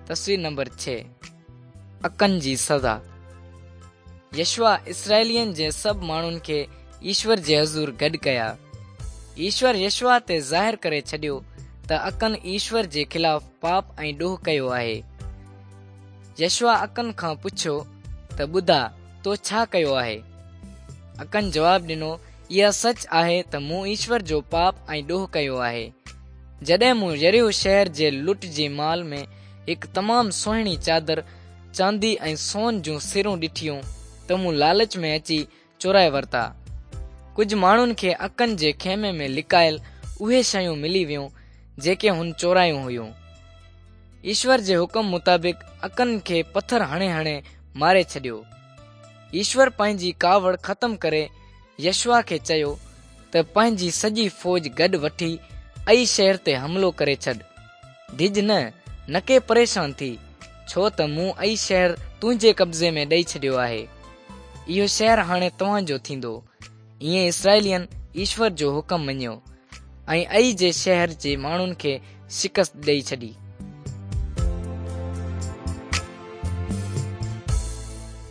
تصوير نمبر 6 اڪن جي سزا. يشوع اسرائيلين جي سڀ ماڻهن کي ايشور جي حضور گڏ ڪيا. ايشور يشوع تي ظاهر ڪري ڇڏيو ته اڪن ايشور جي خلاف پاپ ۽ ڏوهه ڪيو آهي. يشوع اڪن کان پڇيو ته ٻڌاء تو ڇا ڪيو آهي؟ اڪن جواب ڏنو اها سچ آهي ته مون ايشور جو پاپ ۽ ڏوهه ڪيو آهي. جڏهن مون يريحو شهر جي لٽ جي مال ۾ هڪ تمام سهڻي چادر، چاندي ۽ سون جون سرون ڏٺيون ته مون لالچ ۾ اچي چورائي ورتا. ڪجهه ماڻهن کي اڪن جي خيمي ۾ لڪايل اهي شيون ملي ويون جيڪي هن چورايون هيون. ايشور جي حڪم مطابق اڪن کي پٿر هڻي هڻي ماري ڇڏيو. ايشور پنهنجي ڪاوڙ ختم ڪري يشوع کي چيو ته پنهنجي سڄي فوج گڏ وٺي عئي شهر تي حملو ڪري ڇڏ. ڊڄ نه، نڪي پريشان ٿي، ڇو ته مون عئي شهر تنهنجي قبضي ۾ ڏئي ڇڏيو آهي. اهو شهر هاڻي توهان جو ٿيندو. ائين اسرائيلين ايشور جو حڪم مڃيو ۽ عئي جي شهر جي ماڻهن کي شڪست ڏئي ڇڏي.